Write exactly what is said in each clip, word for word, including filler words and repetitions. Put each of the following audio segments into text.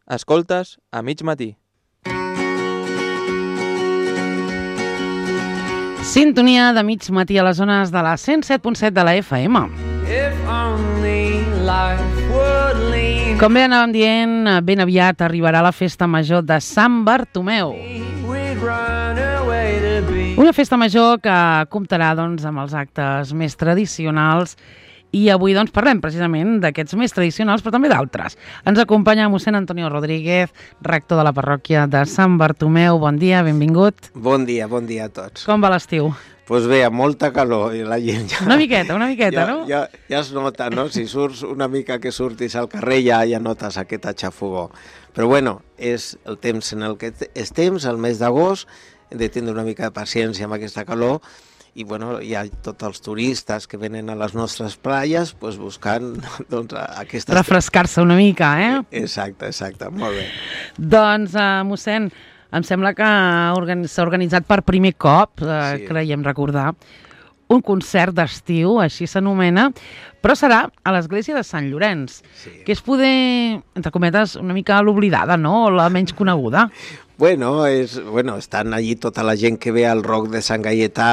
Escoltes a mig matí. Sintonia de mig matí a les zones de la cent set punt set de la F M. Com bé anàvem dient, ben aviat arribarà la festa major de Sant Bartomeu. Una festa major que comptarà doncs, amb els actes més tradicionals i avui doncs, parlem precisament d'aquests més tradicionals, però també d'altres. Ens acompanya mossèn Antonio Rodríguez, rector de la parròquia de Sant Bartomeu. Bon dia, benvingut. Bon dia, bon dia a tots. Com va l'estiu? Doncs pues bé, amb molta calor i la gent ja... Una miqueta, una miqueta, ja, no? Ja, ja es nota, no? Si surts una mica que surtis al carrer ja, ja notes aquest aixafogó. Però bueno, és el temps en el que estem, el mes d'agost, hem de tindre una mica de paciència amb aquesta calor i bueno, hi ha tots els turistes que venen a les nostres platges pues, buscant doncs, aquestes... refrescar-se una mica, eh? Exacte, exacte, molt bé. Doncs, uh, mossèn, em sembla que s'ha organitzat per primer cop, uh, sí. creiem recordar, un concert d'estiu, així s'anomena, però serà a l'església de Sant Llorenç, sí. que és poder, entre cometes, una mica l'oblidada, no?, o la menys coneguda. Bueno, és, bueno, estan allí tota la gent que ve al Roc de Sant Gaietà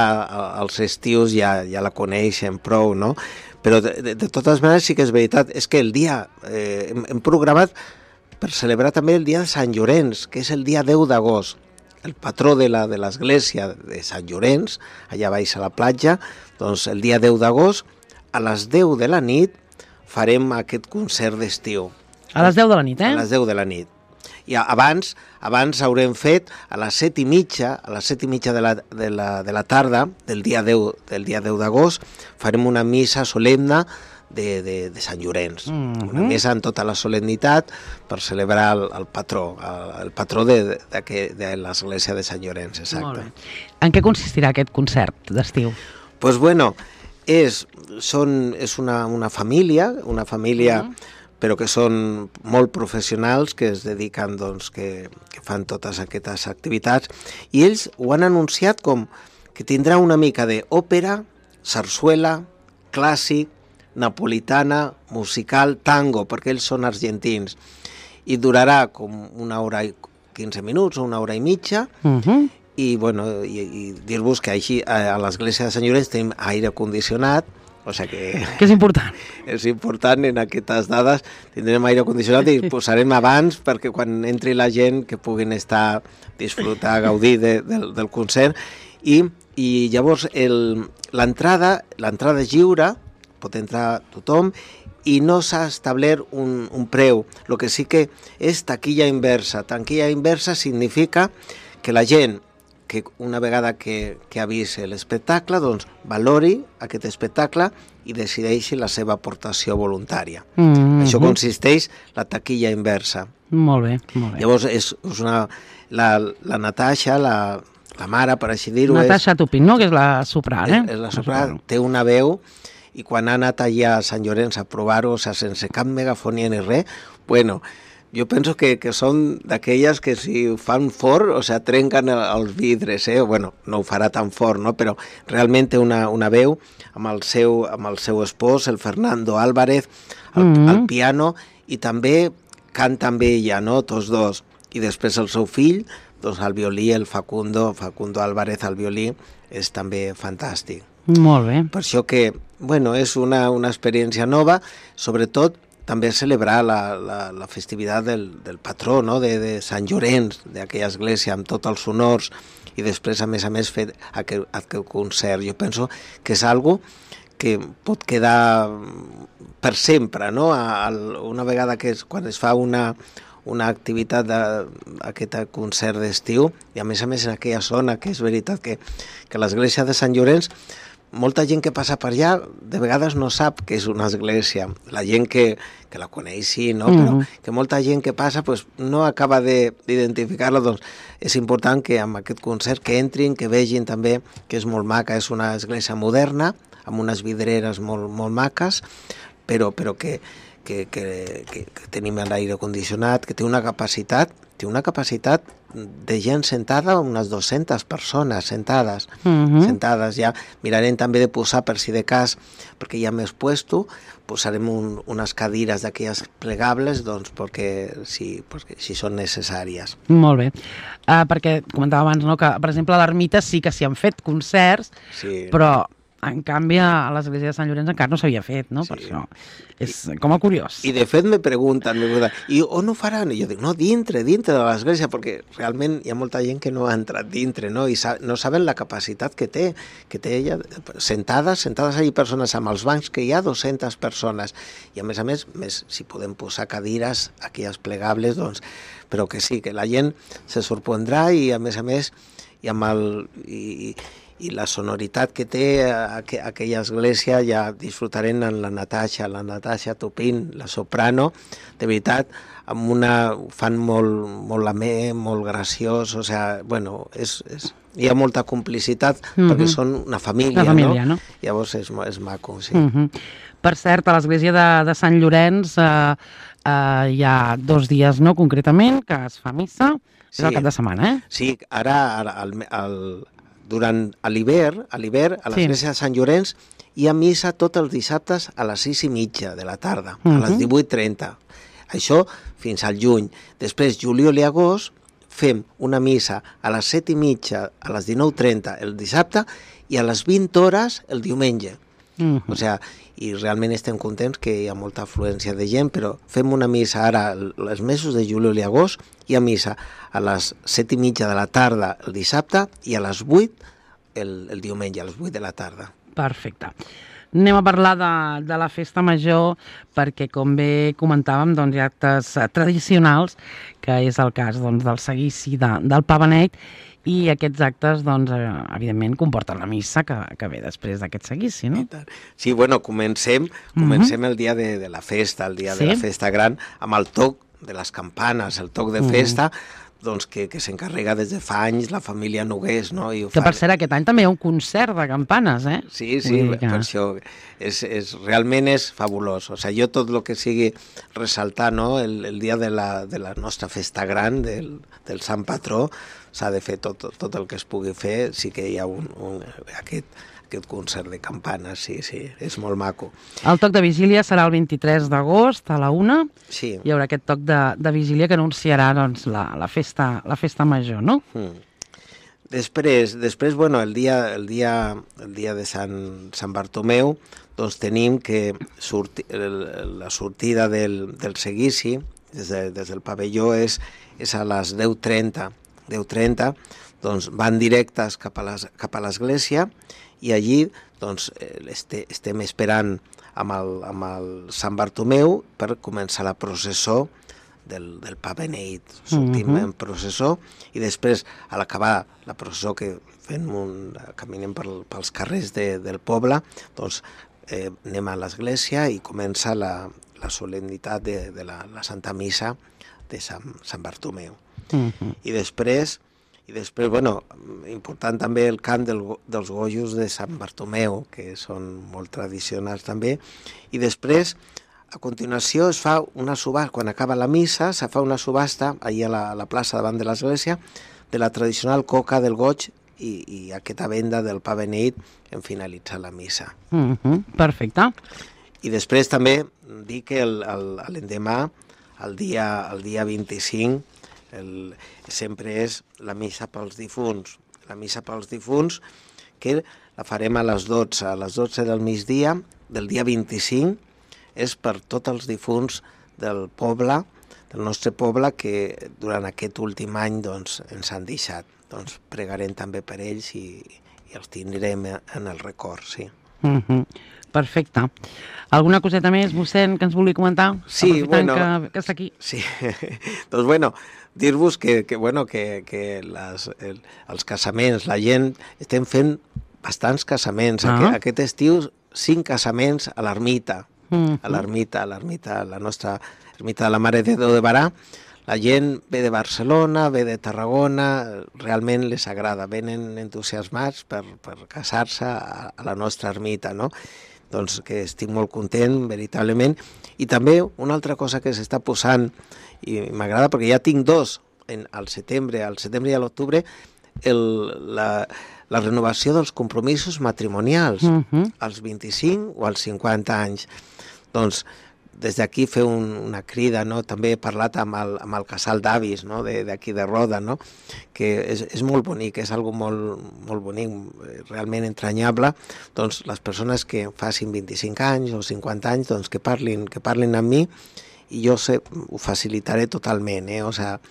als estius ja, ja la coneixen prou, no? Però de, de, de totes maneres sí que és veritat, és que el dia, eh, hem, hem programat per celebrar també el dia de Sant Llorenç, que és el dia deu d'agost, el patró de la de l'església de Sant Llorenç, allà baix a la platja, doncs el dia deu d'agost, a les deu de la nit, farem aquest concert d'estiu. A les deu de la nit, eh? A les deu de la nit. I abans, abans haurem fet a les set i mitja, a les set i mitja de la, de la, de la tarda del dia deu, del dia deu d'agost, farem una missa solemne de, de, de Sant Llorenç. Mm-hmm. Una missa amb tota la solemnitat per celebrar el, el patró, el, el patró de, de, de, de l'església de Sant Llorenç, exacte. En què consistirà aquest concert d'estiu? Doncs pues bueno, és, són, és una, una família, una família... Mm-hmm. però que són molt professionals, que es dediquen, doncs, que, que fan totes aquestes activitats, i ells ho han anunciat com que tindrà una mica d'òpera, sarsuela, clàssic, napolitana, musical, tango, perquè ells són argentins, i durarà com una hora i quinze minuts o una hora i mitja, uh-huh. i, bueno, i, i dir-vos que així a l'església de Sant Llorenç tenim aire condicionat, o sigui que... Que és important. És important en aquestes dades. Tindrem aire condicionat i posarem abans perquè quan entri la gent que puguin estar, disfrutar, gaudir de, de, del concert. I, i llavors l'entrada l'entrada és lliure, pot entrar tothom, i no s'ha establert un, un preu. El que sí que és taquilla inversa. Taquilla inversa significa que la gent que una vegada que, que ha vist l'espectacle, doncs valori aquest espectacle i decideixi la seva aportació voluntària. Mm-hmm. Això consisteix la taquilla inversa. Molt bé, molt bé. Llavors, és, és una, la, la Natasha, la, la mare, per així dir-ho... Natasha és, Tupin, no?, que és la sopran, eh? És, és la sopran, té una veu, i quan ha anat allà a Sant Llorenç a provar-ho, o sigui, sense cap megafonia ni res, bueno... Jo penso que, que són d'aquelles que si fan fort, o sigui, trenquen els vidres, eh? Bueno, no ho farà tan fort, no? Però realment té una, una veu amb el, seu, amb el seu espòs, el Fernando Álvarez, al, mm-hmm. al piano, i també canta amb ella, no? Tots dos. I després el seu fill, doncs al violí, el Facundo, Facundo Álvarez al violí, és també fantàstic. Molt bé. Per això que, bueno, és una, una experiència nova, sobretot també celebrar la, la, la festivitat del, del patró, no? de, de Sant Llorenç, d'aquella església, amb tots els honors, i després, a més a més, fer aquest, aquest concert. Jo penso que és algo que pot quedar per sempre, no? A, a, una vegada que és, quan es fa una, una activitat d'aquest concert d'estiu, i a més a més en aquella zona, que és veritat que, que l'església de Sant Llorenç, molta gent que passa per allà de vegades no sap que és una església. La gent que, que la coneix sí, no? Mm-hmm. Però que molta gent que passa pues, no acaba d'identificar-la. Doncs és important que amb aquest concert que entrin, que vegin també que és molt maca, és una església moderna, amb unes vidreres molt, molt maques, però, però que, que, que, que, que tenim l'aire condicionat, que té una capacitat, té una capacitat de gent sentada, unes dues-centes persones sentades, Mhm. sentades ja. Mirarem també de posar, per si de cas, perquè hi ha més puesto, posarem un, unes cadires d'aquelles plegables, doncs, perquè si, perquè, si són necessàries. Molt bé. Uh, perquè comentava abans, no?, que, per exemple, a l'Ermita sí que s'hi han fet concerts, Sí. però, en canvi, a l'església de Sant Llorenç encara no s'havia fet, no? Sí. Per això és com a curiós. I de fet me pregunten, me pregunten, i on ho faran? I jo dic, no, dintre, dintre de l'església, perquè realment hi ha molta gent que no ha entrat dintre, no? I sa no saben la capacitat que té, que té ella, sentades, sentades allí persones amb els bancs, que hi ha dues-centes persones, i a més a més, més si podem posar cadires, aquelles plegables, doncs, però que sí, que la gent se sorprendrà i a més a més, i amb el... I, i la sonoritat que té aqu aquella església ja disfrutarem en la Natasha, la Natasha Topin, la soprano, de veritat, amb una, fan molt, molt amè, molt graciós, o sea, bueno, és, és, hi ha molta complicitat, mm-hmm. perquè són una família, una família, no? no? Llavors és, és maco, sí. Mm-hmm. Per cert, a l'església de, de Sant Llorenç eh, eh, hi ha dos dies, no?, concretament, que es fa missa, sí. És el cap de setmana, eh? Sí, ara, ara el, el, durant l'hivern, a l'hivern, a l'església sí. de Sant Llorenç, hi ha missa tots els dissabtes a les sis i mitja de la tarda, uh -huh. a les divuit trenta. Això fins al juny. Després, juliol i agost, fem una missa a les set i mitja, a les dinou trenta el dissabte i a les vint hores el diumenge. Uh -huh. O sea, i realment estem contents que hi ha molta afluència de gent, però fem una missa ara, els mesos de juliol i agost, hi ha missa a les set i mitja de la tarda el dissabte i a les vuit el, el diumenge, a les vuit de la tarda. Perfecte. Anem a parlar de, de la festa major, perquè, com bé comentàvem, doncs, hi ha actes tradicionals, que és el cas doncs, del seguici de, del Pa Beneit, i aquests actes, doncs, evidentment, comporten la missa que, que ve després d'aquest seguici, no? Sí, bueno, comencem, comencem uh-huh. el dia de, de la festa, el dia sí? de la festa gran, amb el toc de les campanes, el toc de festa, uh-huh. doncs que, que s'encarrega des de fa anys la família Nogués, no? I ho que fa... per cert, aquest any també hi ha un concert de campanes, eh? Sí, sí, que... per això és, és, realment és fabulós. O sigui, jo tot el que sigui ressaltar, no?, el, el dia de la, de la nostra festa gran, del, del Sant Patró, s'ha de fer tot, tot el que es pugui fer, sí que hi ha un, un, aquest, aquest concert de campanes, sí, sí, és molt maco. El toc de vigília serà el vint-i-tres d'agost a la una, sí. Hi haurà aquest toc de, de vigília que anunciarà doncs, la, la, festa, la festa major, no? Mm. Després, després, bueno, el dia, el dia, el dia de Sant, Sant Bartomeu, doncs tenim que surti, el, la sortida del, del seguici des, de, des del pavelló és, és a les deu trenta, deu trenta, doncs van directes cap a l'església i allí doncs, este, estem esperant amb el, amb el Sant Bartomeu per començar la processó del, del Pa Beneit. Sortim uh-huh. en processó i després, a l'acabar la processó que fem un, caminem per, pels carrers de, del poble, doncs eh, anem a l'església i comença la, la solemnitat de, de la, la Santa Missa de Sant, Sant Bartomeu. Uh-huh. I després, i després, bueno, important també el cant del, dels gojos de Sant Bartomeu, que són molt tradicionals també, i després, a continuació, es fa una subhasta, quan acaba la missa, se fa una subhasta, allà a la, a la plaça davant de l'església, de la tradicional coca del goig i, i aquesta venda del Pa Beneit en finalitzar la missa. Uh-huh. Perfecte. I després també dir que l'endemà, el dia, el dia vint-i-cinc, el, sempre és la missa pels difunts. La missa pels difunts, que la farem a les dotze. A les dotze del migdia del dia vint-i-cinc, és per tots els difunts del poble, del nostre poble, que durant aquest últim any doncs, ens han deixat. Doncs pregarem també per ells i, i els tindrem en el record, sí. Uh-huh. Perfecte. Alguna coseta més, mossèn, que ens vulgui comentar? Sí, bueno... Que, que està aquí. Sí, doncs bueno, dir-vos que, que, bueno, que, que les, el, els casaments, la gent, estem fent bastants casaments. Ah. Aquest, aquest estiu, cinc casaments a l'ermita, uh-huh. a l'ermita, a l'ermita, la nostra ermita de la Mare de Déu de Barà. La gent ve de Barcelona, ve de Tarragona, realment les agrada, venen entusiasmats per, per casar-se a, a la nostra ermita, no? Doncs que estic molt content, veritablement. I també una altra cosa que s'està posant, i m'agrada perquè ja tinc dos en, al setembre, al setembre i a l'octubre, el, la, la renovació dels compromisos matrimonials, uh-huh. als vint-i-cinc o als cinquanta anys. Doncs des d'aquí fer un, una crida, no? També he parlat amb el, amb el casal d'avis, no? d'aquí de, de Roda, no? Que és, és molt bonic, és algo molt, molt bonic, realment entranyable. Doncs les persones que facin vint-i-cinc anys o cinquanta anys, doncs que parlin, que parlin amb mi i jo sé, ho facilitaré totalment, eh? O sea,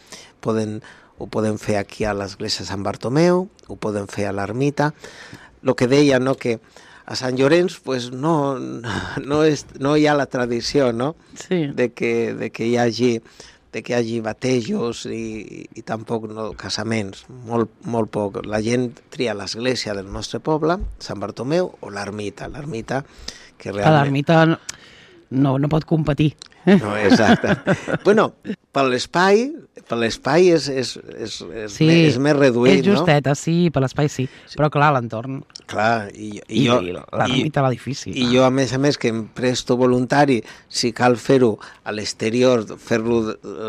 poden, ho podem fer aquí a l'església de Sant Bartomeu, ho podem fer a l'ermita. El que deia, no?, que a Sant Llorenç pues, no, no, és, no hi ha la tradició, no? Sí. de, que, de, que hi hagi, de que hi hagi batejos i, i tampoc no, casaments, molt, molt poc. La gent tria l'església del nostre poble, Sant Bartomeu, o l'ermita. L'ermita que realment... L'ermita no, no pot competir. No, exacte. Bueno, per l'espai, per l'espai és, és, és, és, sí, més, és més reduït, és justeta, no? Sí, per l'espai sí, sí. Però clar, l'entorn... Clar, i, i, I, jo, i l'ermita, l'edifici. I jo, a més a més, que em presto voluntari, si cal fer-ho a l'exterior, fer-lo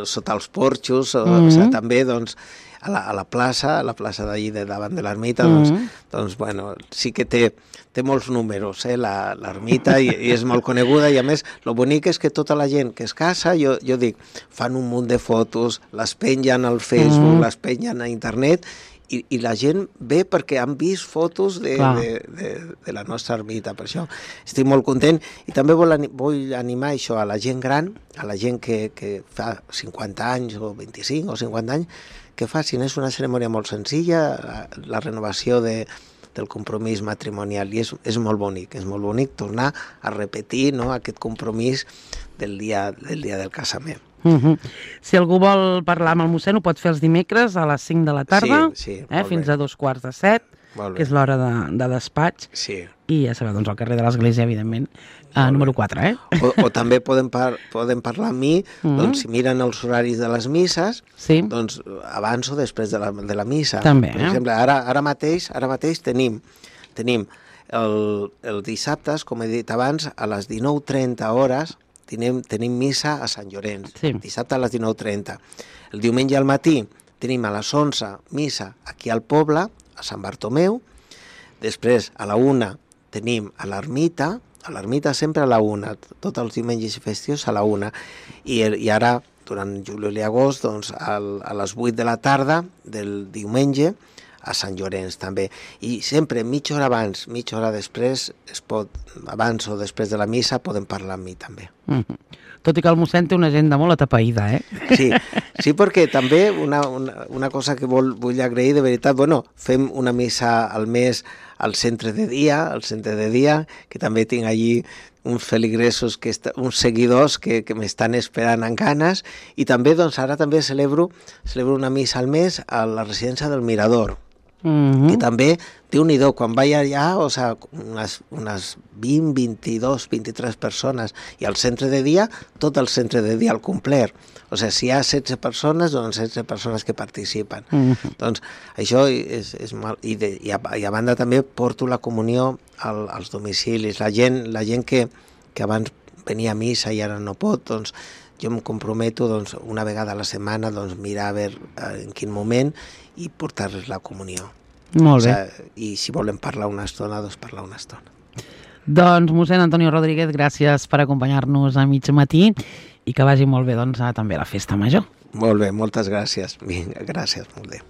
sota els porxos, o, mm-hmm. o sigui, també, doncs, a la, a la plaça, a la plaça d'allí de davant de l'ermita, doncs, mm-hmm. doncs, bueno, sí que té, té molts números, eh, l'ermita, i, i és molt coneguda, i a més, el bonic és que tota la gent que es casa, jo, jo dic, fan un munt de fotos, les pengen al Facebook, mm-hmm. les pengen a internet, i, i la gent ve perquè han vist fotos de, de, de, de la nostra ermita, per això estic molt content, i també vol, vull animar això a la gent gran, a la gent que, que fa cinquanta anys, o vint-i-cinc o cinquanta anys, que facin, és una cerimònia molt senzilla, la, la renovació de, del compromís matrimonial, i és, és molt bonic, és molt bonic tornar a repetir, no?, aquest compromís del dia del, dia del casament. Uh-huh. Si algú vol parlar amb el mossèn, ho pot fer els dimecres a les cinc de la tarda, sí, sí, eh, fins a dos quarts de set, que és l'hora de, de despatx, sí. I ja sabeu, doncs al carrer de l'Església, evidentment, a número quatre, eh? O, o també poden, par poden parlar amb mi, uh-huh. doncs si miren els horaris de les misses, sí. doncs abans o després de la, de la missa. També, per eh? exemple, ara, ara mateix, ara mateix tenim, tenim el, el dissabtes, com he dit abans, a les dinou trenta hores, Tenim, tenim missa a Sant Llorenç, sí. Dissabte a les dinou trenta. El diumenge al matí tenim a les onze missa aquí al poble, a Sant Bartomeu. Després a la una tenim a l'ermita, a l'ermita sempre a la una, tots els diumenges i festius a la una. I, i ara, durant juliol i agost, doncs, al, a les vuit de la tarda del diumenge, a Sant Llorenç també, i sempre mitja hora abans, mitja hora després, es pot, abans o després de la missa, podem parlar amb mi també. Mm-hmm. Tot i que el mossèn té una agenda molt atapeïda, eh? Sí, sí, perquè també una, una, una cosa que vol, vull agrair de veritat, bueno, fem una missa al mes al centre de dia, al centre de dia, que també tinc allí uns feligresos, que est uns seguidors que, que m'estan esperant amb ganes, i també, doncs, ara també celebro, celebro una missa al mes a la residència del Mirador, mm-hmm. que també, Déu-n'hi-do, quan vaig allà, o sigui, unes, unes vint, vint-i-dos, vint-i-tres persones, i al centre de dia, tot el centre de dia al complet. O sigui, si hi ha setze persones, doncs setze persones que participen. Mm-hmm. Doncs això és, és mal. I, de, i, a, i a banda també porto la comunió al, als domicilis. La gent, la gent que, que abans venia a missa i ara no pot, doncs jo em comprometo, doncs, una vegada a la setmana, doncs, mirar a veure en quin moment i portar-les la comunió. Molt bé. O sigui, i si volen parlar una estona, doncs parlar una estona. Doncs, mossèn Antonio Rodríguez, gràcies per acompanyar-nos a mig matí i que vagi molt bé, doncs, a, també a la festa major. Molt bé, moltes gràcies. Vinga, gràcies, molt bé.